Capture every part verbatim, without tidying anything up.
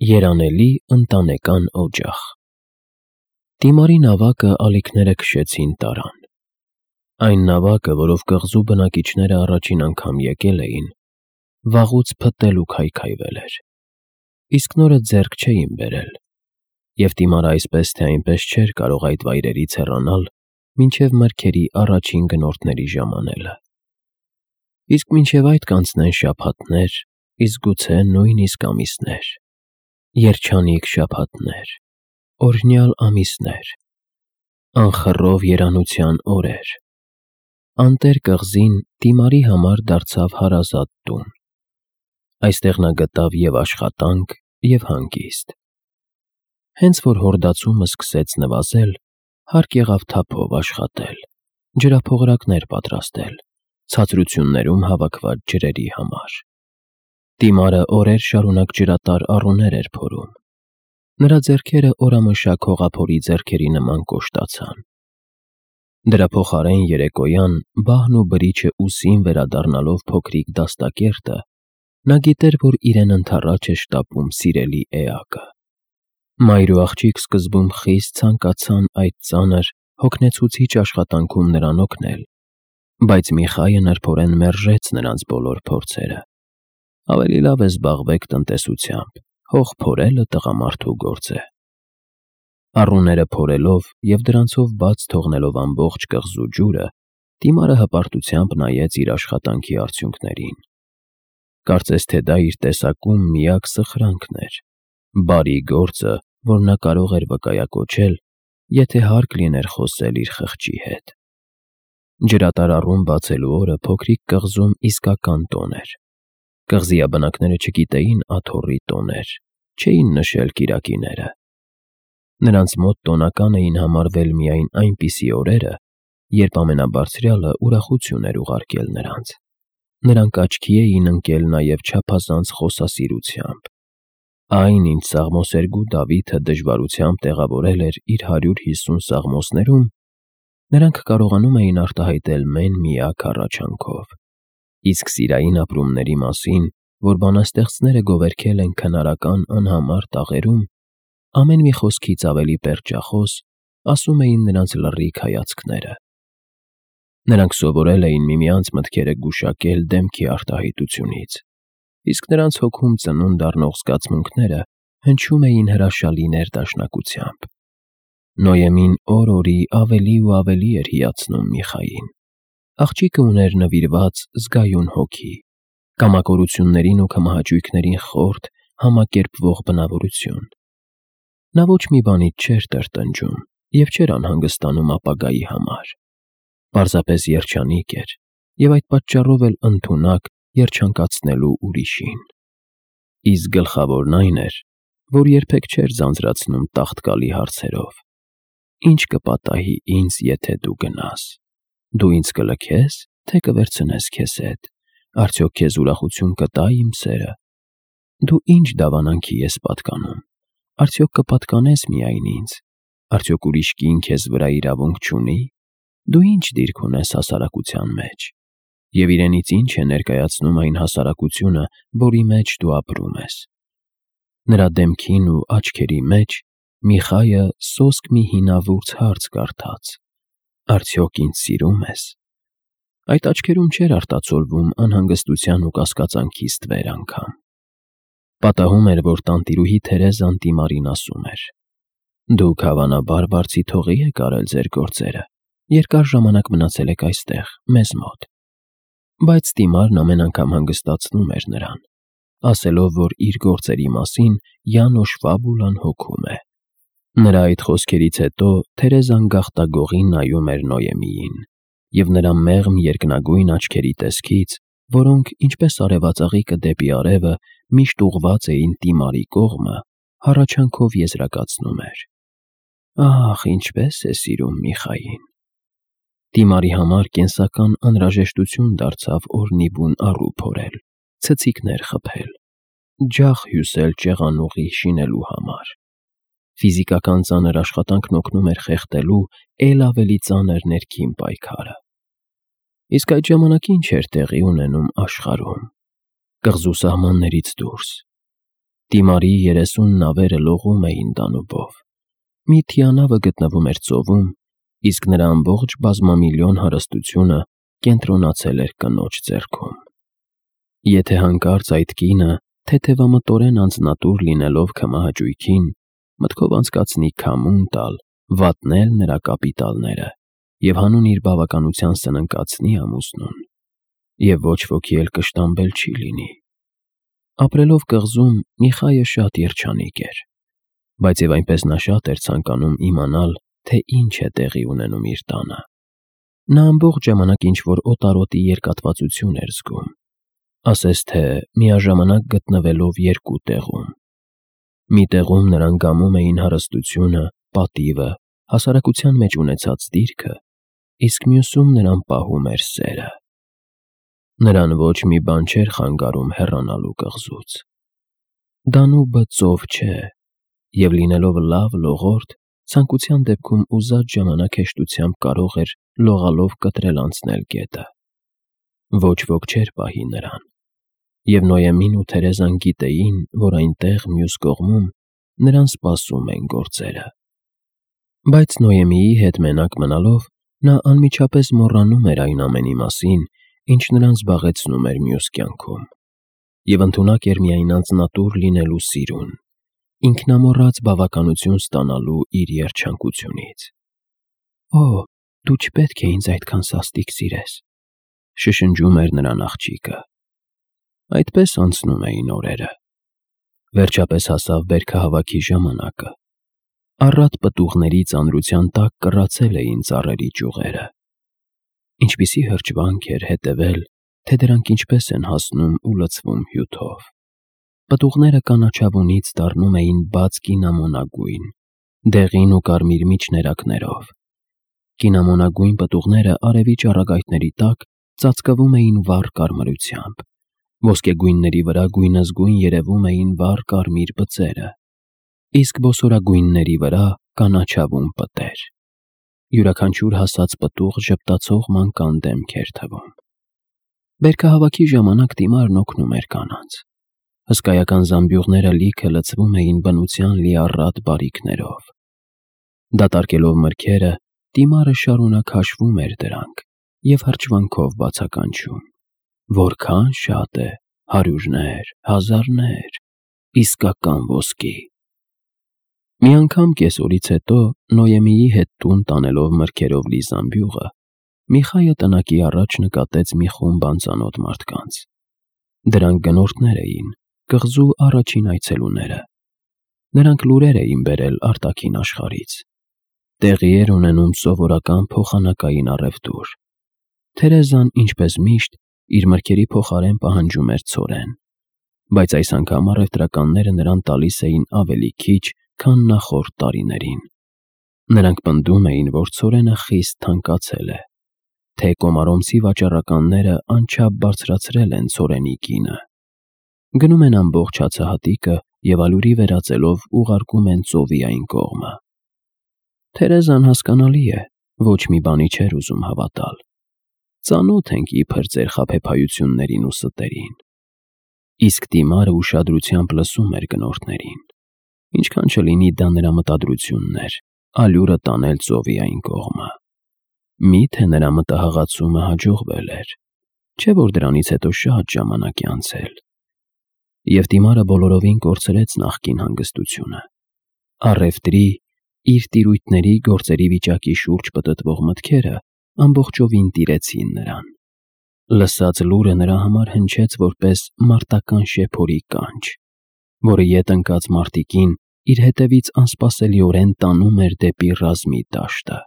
Երանելի ընտանեկան օջախ։ Դիմարի նավակը ալիքները քշեցին տարան։ Այն նավակը, որով կղզու բնակիչները առաջին անգամ եկել էին, վաղուց փտել ու քայքայվել էր, իսկ նորը ձեռք չէին բերել, և Դիմարը այսպես թե այնպես չէր կարող այդ վայրերից հեռանալ մինչև մրգերի առաջին գնորդների ժամանելը։ Իսկ մինչև այդ կանցնեն շաբաթներ, իսկ գուցե նույնիսկ ամիսներ, երջանիկ շաբաթներ, օրհնյալ ամիսներ, անխռով երանության օրեր։ Անտեր կղզին Դիմարի համար դարձավ հարազատ տուն։ Այստեղ նա գտավ և աշխատանք, և հանգիստ։ Հենց որ հորդացումը սկսեց նվազել, հարկ եղավ թափով աշխատել, ջրափողրակներ պատրաստել, ցածրություններում հավաքված ջրերի համար։ Դիմարը օրեր շարունակ ջրատար առուներ էր փորում։ Նրա ձեռքերը օրամշակ հողափորի ձեռքերի նման կոշտացան։ Դրա փոխարեն երեկոյան, բահն ու բրիչը ուսին վերադառնալով փոքրիկ դաստակերտը, նա գիտեր, որ իրեն ընդառաջ է շտապում սիրելի էակը։ Մայր ու աղջիկ սկզբում խիստ ցանկացան այդ ծանր, հոգնեցուցիչ աշխատանքում նրան օգնել, բայց Միխայը նրբորեն մերժեց նրանց բոլոր փորձերը։ Ավելի լավ է զբաղվեք տնտեսությամբ, հող փորելը տղամարդու գործ է։ Առուները փորելով և դրանցով բաց թողնելով ամբողջ կղզու ջուրը, Դիմարը հպարտությամբ նայեց իր աշխատանքի արդյունքներին։ Կարծես թե դա իր տեսակում միակ սխրանքն էր, բարի գործը, որ նա կարող էր վկայակոչել, եթե հարկ լիներ խոսել իր խղճի հետ։ Ջրատար առուն բացելու օրը փոքրիկ կղզում իսկական տոն էր։ Կղզիաբնակները չգիտեին աթոռի տոներ, չէին նշել կիրակիները։ Նրանց մոտ տոնական էին համարվել միայն այնպիսի օրերը, երբ ամենաբարձրյալը ուրախություն էր ուղարկել նրանց։ Նրանք աչքի էին ընկել նաև չափազանց խոսասիրությամբ։ Այն, ինչ սաղմոսերգու Դավիթը դժվարությամբ տեղավորել էր իր հարյուր հիսուն սաղմոսներում, նրանք կարողանում էին արտահայտել մեն֊միակ հառաչանքով։ Իսկ սիրային ապրումների մասին, որ բանաստեղծները գովերգել են քնարական անհամար տաղերում, ամեն մի խոսքից ավելի պերճախոս, ասում էին նրանց լռիկ հայացքները։ Նրանք սովորել էին միմյանց մտքերը գուշակել դեմքի արտահայտությունից, իսկ նրանց հոգում ծնունդ առնող զգացմունքները հնչում էին հրաշալի ներդաշնակությամբ։ Նոյեմին օր֊օրի ավելի ու ավելի էր հիացնում Միխային։ Աղջիկը ուներ նվիրված զգայուն հոգի, կամակորություններին ու քմահաճույքներին խորթ, համակերպվող բնավորություն։ Նա ոչ մի բանից չէր տրտնջում և չէր անհանգստանում ապագայի համար։ Պարզապես երջանիկ էր և այդ պատճառով էլ ընդունակ երջանկացնելու ուրիշին։ Իսկ գլխավորն այն էր, որ երբեք չէր ձանձրացնում տաղտկալի հարցերով. «Ի՞նչ կպատահի ինձ, եթե դու գնաս։ Դու ինձ կլքե՞ս, թե կվերցնես քեզ հետ։ Արդյոք քեզ ուրախություն կտա՞ իմ սերը։ Դու ի՞նչ դավանանքի ես պատկանում։ Արդյոք կպատկանես միայն ինձ։ Արդյոք ուրիշ կին քեզ վրա իրավունք չունի։ Դու ի՞նչ դիրք ունես հասարակության մեջ։ Եվ իրենից ի՞նչ է ներկայացնում այն հասարակությունը, որի մեջ դու ապրում ես»։ Նրա դեմքին ու աչքերի մեջ Միխայը սոսկ մի հինավուրց հարց կարդաց. «Արդյոք ինձ սիրում ես»։ Այդ աչքերում չէր արտացոլվում անհանգստության ու կասկածանքի ստվեր անգամ։ Պատահում էր, որ տանտիրուհի Թերեզան Դիմարին ասում էր. «Դուք հավանաբար վարձիթողի եք արել ձեր գործերը, երկար ժամանակ մնացել եք այստեղ, մեզ մոտ»։ Բայց Դիմարն ամեն անգամ հանգստացնում էր նրան, ասելով, որ իր գործերի մասին Յանոշ Ֆաբուլան հոգում է։ Նրա այդ խոսքերից հետո Թերեզան գաղտագողի նայում էր Նոյեմիին, և նրա մեղմ երկնագույն աչքերի տեսքից, որոնք, ինչպես արևածաղիկը դեպի արևը, միշտ ուղղված էին Դիմարի կողմը, հառաչանքով եզրակացնում էր. «Ահ, ինչպես է սիրում Միխային»։ Դիմարի համար կենսական անհրաժեշտություն դարձավ օրհնի բուն առու փորել, ցցիկներ խփել, ջախ հյուսել ճեղանուղի շինելու համար։ Ֆիզիկական ծանր աշխատանքն օգնում էր խեղդելու էլ ավելի ծանր ներքին պայքարը։ Իսկ այդ ժամանակ ի՞նչ էր տեղի ունենում աշխարհում, կղզու սահմաններից դուրս։ Դիմարի երեսուն նավերը լողում էին տանուբով։ Մի թիանավը գտնվում էր ծովում, իսկ նրա ամբողջ բազմամիլիոն հարստությունը կենտրոնացել էր կնոջ ձեռքում։ Եթե հանկարծ այդ կինը, թեթևամտորեն անձնատուր լինելով քմահաճույքին, մտքով անցկացնի քամուն տալ, վատնել նրա կապիտալները և հանուն իր բավականության սննկացնի ամուսնուն, և ոչ ոքի էլ կշտամբել չի լինի։ Ապրելով կղզում Միխայը շատ երջանիկ էր, բայց և այնպես նա շատ էր ցանկանում իմանալ, թե ինչ է տեղի ունենում իր տանը։ Նա ամբողջ ժամանակ ինչ-որ օտարոտի երկատվածություն էր զգում, ասես թե միաժամանակ գտնվելով երկու տեղում։ Մի տեղում նրան գամում էին հարստությունը, պատիվը, հասարակության մեջ ունեցած դիրքը, իսկ մյուսում նրան պահում էր սերը։ Նրան ոչ մի բան չէր խանգարում հեռանալու կղզուց։ Դանուբը ծով չէ, և լինելով լավ լողորդ, ցանկության դեպքում ուզած ժամանակ հեշտությամբ կարող էր լողալով կտրել անցնել գետը։ Ոչ ոք չէր պահի նրան, և Նոյեմին ու Թերեզան գիտեին, որ այնտեղ, մյուս կողմում, նրան սպասում են գործերը։ Բայց Նոյեմիի հետ մենակ մնալով նա անմիջապես մոռանում էր այն ամենի մասին, ինչ նրան զբաղեցնում էր մյուս կյանքում, և ընդունակ էր միայն անձնատուր լինելու սիրուն, ինքնամոռաց բավականություն ստանալու իր երջանկությունից։ «Օ, դու չպետք է ինձ այդքան սաստիկ սիրես», շշնջում էր նրան աղջիկը։ Այդպես անցնում էին օրերը։ Վերջապես հասավ բերքահավաքի ժամանակը։ Առատ պտուղների ծանրության տակ կռացել էին ծառերի ճյուղերը։ Ինչպիսի հրճվանք էր հետևել, թե դրանք ինչպես են հասնում ու լցվում հյութով։ Պտուղները կանաչավունից դառնում էին բաց կինամոնագույն, դեղին ու կարմիր միջներակներով։ Կինամոնագույն պտուղները արևի ճառագայթների տակ ծածկվում էին վառ կարմրությամբ, ոսկեգույնների վրա գույնզգույն երևում էին վառ կարմիր բծերը, իսկ բոսորագույնների վրա կանաչավուն պտեր։ Յուրաքանչյուր հասած պտուղ ժպտացող մանկան դեմք էր թվում։ Բերքահավաքի ժամանակ Տիմարն օգնում էր կանանց։ Հսկայական զամբյուղները լիքը լցվում էին բնության լիառատ բարիքներով։ Դատարկելով մրգերը, Տիմարը շարունակ հաշվում էր դրանք և հրճվանքով բացականչում. «Որքան շատ է, հարյուրներ, հազարներ, իսկական ոսկի»։ Մի անգամ կեսօրից հետո, Նոյեմիի հետ տուն տանելով մրգերով լի զամբյուղը, Միխայը տնակի առաջ նկատեց մի խումբ անծանոթ մարդկանց։ Դրանք գնորդներ էին, կղզու առաջին այցելուները։ Նրանք լուրեր էին բերել արտաքին աշխարհից։ Տեղի էր ունենում սովորական փոխանակային առևտուր։ Թերեզան, ինչպես միշտ, իր մրգերի փոխարեն պահանջում էր ցորեն, բայց այս անգամ առևտրականները նրան տալիս էին ավելի քիչ, քան նախորդ տարիներին։ Նրանք պնդում էին, որ ցորենը խիստ թանկացել է, թե կոմարոմցի վաճառականները անչափ բարձրացրել են ցորենի գինը։ Գնում են ամբողջ հացահատիկը և ալյուրի վերածելով ուղարկում են ծովի այն կողմը։ Թերեզան, հասկանալի է, ոչ մի բանի չէր ուզում հավատալ։ Ծանոթ ենք իբր ձեր խաբեբայություններին ու ստերին։ Իսկ Տիմարը ուշադրությամբ լսում էր գնորդներին։ Ինչքան չլինի դա նրա մտադրությունն էր՝ ալյուրը տանել ծովի այն կողմը։ Մի՞թե նրա մտահղացումը հաջողվել էր, չէ՞ որ դրանից հետո շատ ժամանակ է անցել։ Եվ Տիմարը բոլորովին կորցրեց նախկին հանգստությունը։ Առևտրի, իր տիրույթների գործերի վիճակի շուրջ պտտվող մտքերը ամբողջովին տիրեցին նրան։ Լսած լուրը նրա համար հնչեց որպես մարտական շեփորի կանչ, որը ետ ընկած մարտիկին իր հետևից անսպասելիորեն տանում էր դեպի ռազմի դաշտը,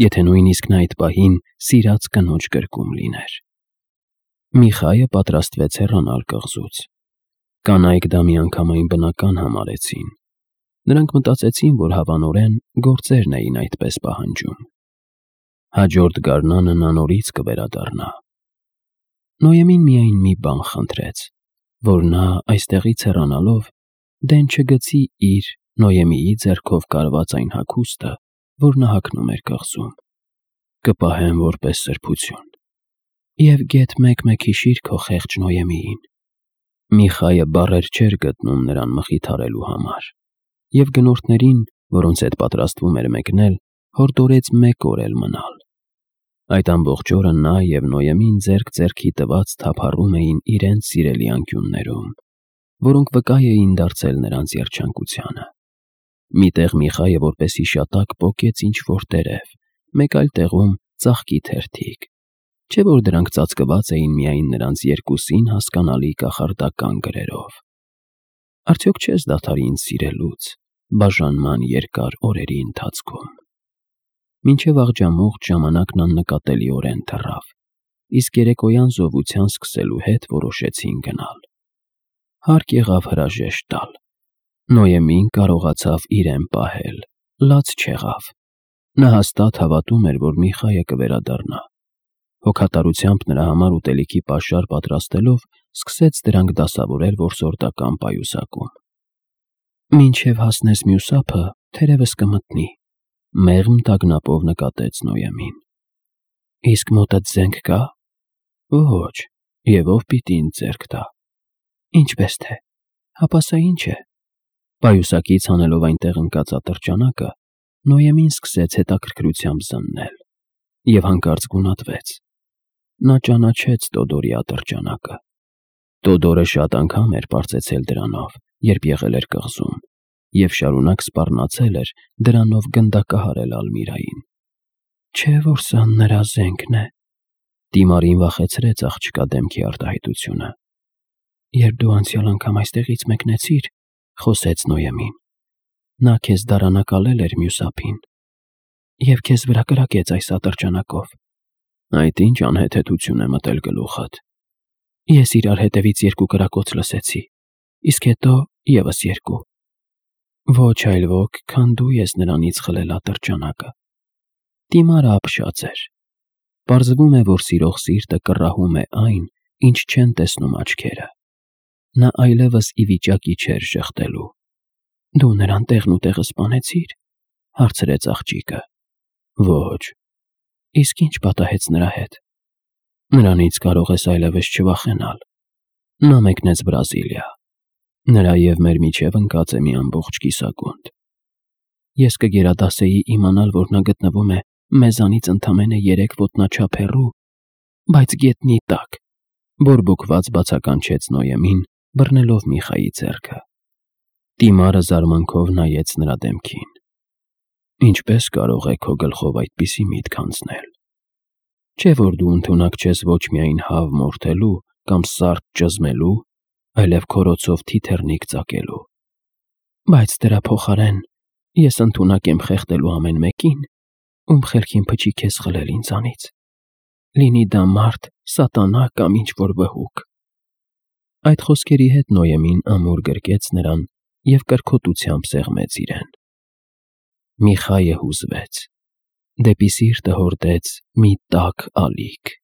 եթե նույնիսկ նա այդ պահին սիրած կնոջ գրկում լիներ։ Միխայը պատրաստվեց հեռանալ կղզուց։ Կանայք դա միանգամայն բնական համարեցին։ Նրանք մտածեցին, որ հավանորեն գործերն էին այդպես պահանջում։ Հաջորդ գարնանը նա նորից կվերադառնա։ Նոյեմին միայն մի բան խնդրեց, որ նա այստեղից հեռանալով դեն չգցի իր Նոյեմիի ձեռքով կարված այն հագուստը, որ նա հագնում էր կղզում։ «Կպահեմ որպես սրբություն, և գեթ մեկ-մեկ հիշիր քո խեղճ Նոյեմիին», Միխայը բառեր չէր գտնում նրան մխիթարելու համար, և գնորդներին, որոնց հետ պատրաստվում էր մեկնել, հորդորեց մեկ օր էլ մնալ։ Այդ ամբողջ օրը նա և Նոյեմին ձեռք ձեռքի տված թափառում էին իրենց սիրելի անկյուններում, որոնք վկա էին դարձել նրանց երջանկությանը։ Մի տեղ Միխայը որպես հիշատակ պոկեց ինչ-որ տերև, մեկ այլ տեղում ծաղկի թերթիկ, չէ՞ որ դրանք ծածկված էին միայն նրանց երկուսին հասկանալի կախարդական գրերով։ Արդյոք չես դադարի ինձ սիրելուց բաժանման երկար օրերի ընթացքում։ Մինչև աղջամուղջ ժամանակն աննկատելիորեն թռավ, իսկ երեկոյան զովության սկսելու հետ որոշեցին գնալ։ Հարկ եղավ հրաժեշտ տալ։ Նոյեմին կարողացավ իրեն պահել, լաց չեղավ։ Նա հաստատ հավատում էր, որ Միխայը կվերադառնա։ Հոգատարությամբ նրա համար ուտելիքի պաշար պատրաստելով, սկսեց դրանք դասավորել որսորդական պայուսակում։ «Մինչև հասնես մյուս ափը, թերևս կմտնի», մեղմ տագնապով նկատեց Նոյեմին։ «Իսկ մոտդ զենք կա»։ «Ոչ, և ով պիտի ինձ ձեռք տա»։ «Ինչպես թե, հապա սա ի՞նչ է»։ Պայուսակից հանելով այնտեղ ընկած ատրճանակը, Նոյեմին սկսեց հետաքրքրությամբ զննել և հանկարծ գունատվեց։ Նա ճանաչեց Տոդորի ատրճանակը։ Տոդորը շատ անգամ էր պարծեցել դրանով, երբ եղել էր կղզում, և շարունակ սպառնացել էր դրանով գնդակահարել Ալմիրային։ Չէ՞ որ սա նրա զենքն է։ Դիմարին վախեցրեց աղջկա դեմքի արտահայտությունը։ «Երբ դու անցյալ անգամ այստեղից մեկնեցիր», խոսեց Նոյեմին, «նա քեզ դարանակալել էր մյուս ափին և քեզ վրա կրակեց այս ատրճանակով»։ «Այդ ի՞նչ անհեթեթություն է մտել գլուխդ»։ «Ես իրար հետևից երկու կրակոց լսեցի, իսկ հետո ևս երկու։ Ոչ այլ ոք, քան դու ես նրանից խլել ատրճանակը»։ Դիմարը ապշած էր։ Պարզվում է, որ սիրող սիրտը կռահում է այն, ինչ չեն տեսնում աչքերը։ Նա այլևս ի վիճակի չէր ժխտելու։ «Դու նրան տեղն ու տեղը սպանեցի՞ր», հարցրեց աղջիկը։ «Ոչ»։ «Իսկ ի՞նչ պատահեց նրա հետ»։ «Նրանից կարող ես այլևս չվախենալ։ Նա մեկնեց Բրազիլիա։ Նրա և մեր միջև ընկած է մի ամբողջ կիսագունդ։ Ես կգերադասեի իմանալ, որ նա գտնվում է մեզանից ընդամենը երեք ոտնաչափ հեռու, բայց գետնի տակ», բորբոքված բացականչեց Նոյեմին, բռնելով Միխայի ձեռքը։ Դիմարը զարմանքով նայեց նրա դեմքին։ «Ինչպե՞ս կարող է քո գլխով այդպիսի միտք անցնել։ Չէ՞ որ դու ընդունակ չես ոչ միայն հավ մորթելու կամ սարդ ճզմելու, այլև քորոցով թիթեռնիկ ծակելու։ Բայց դրա փոխարեն ես ընդունակ եմ խեղդելու ամեն մեկին, ում խելքին փչի քեզ խլել ինձանից, լինի դա մարդ, սատանա կամ ինչ-որ վհուկ»։ Այդ խոսքերի հետ Նոյեմին ամուր գրկեց նրան և կրքոտությամբ սեղմեց իրեն։ Միխայը հուզվեց։ Դեպի սիրտը հորդեց մի տաք ալիք։